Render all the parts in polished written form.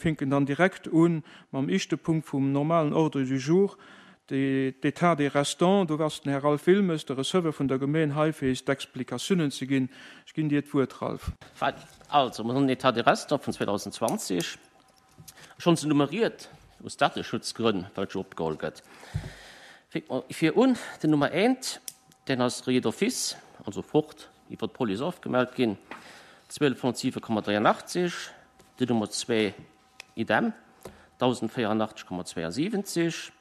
Fänken dann direkt un mam ischte Punkt vum normalen Ordre du jour, d'État des restants. Do ass den Här Ralph Wilmes, de Receveur vun der Gemeen, hei fir is d'Explikatiounen ze ginn. Ech ginn dir d'Wuert, Ralph. Also, mer hunn den État des restants vun 2020 schonns nummeriert, aus Dateschutzgrënn, well et jo opgeholl gëtt. Fänke mer vir un, den Nummer eent, deen ass rayé d'office, also fort, iwwer d'Police ofgemellt ginn, 1207,83. Den Nummer zwee, idem, 1084,72.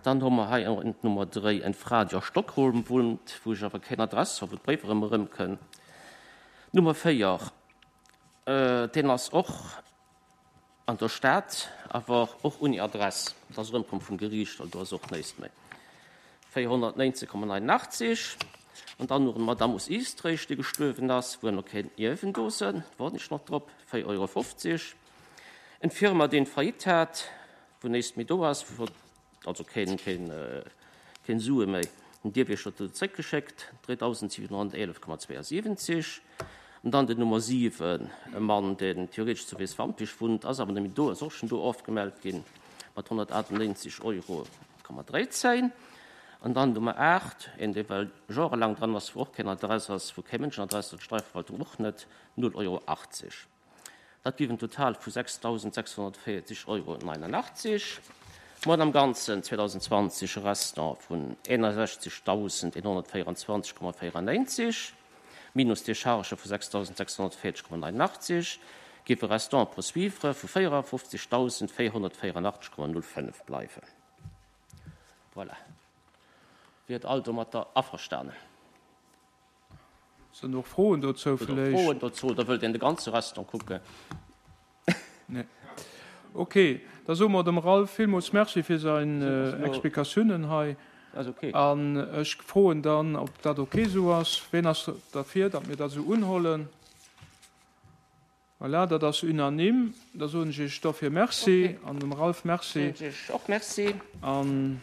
Dann hu mer hei och en Nummer dréi, eng Fra, déi a Stockholm wunnt, wou ech awer keng Adress hu wou d'Bréiwer ëmmer erëmkënn. Nummer véier, deen ass och An der Stad, awer och ouni Adress. Dat ass erëmkomm vum Geriicht, well do ass och näischt méi. 419,89. An dann nach d'Madame aus Eastréich, déi gestuerwen ass, wou nach keen Ierwen do sënn, waarden ech nach drop, 4,50 Euro. Eng Firma, déi Faillite hat, wou näischt méi do ass, wou Also keen, keen, keen Sue méi. Den Dierwiechter huet se zréckgeschéckt, 3.711,72. An dann den Nummer 7, e Mann, deen theoretesch zu Weeswampich wunnt, ass awer net méi do, ass och schonn do ofgemellt ginn, mat 198,13 Euro. An dann Nummer 8, een, dee well jorelaang dran ass, wou och keng Adress ass, wou kee Mënsch eng Adress huet, d'Steierverwaltung och net, 0,80 Euro. Dat géif en Total vu 6.640,89 Euro. Mer hunn am Ganzen 2020 e Restant vun 61.124,94 minus Dechargë vu 6.640,89, géif e Restant à poursuivre vu 54.484,05 bleiwen. Voilà. Wiert all domatter averstanen? Sinn och Froen dozou vläicht? Froen dozou oder wëllt een de ganze Restant kucken? Nee. Ok, da soe mer dem Ralph villmools Merci fir säin Explikatiounen hei. An ech froen dann, ob dat ok esou ass. Ween ass derfir, datt mir dat esou unhollen? Voilà, dat ass unanime. Da soen ech Iech dofir Merci an dem Ralph Merci. Soen ech och Merci. An.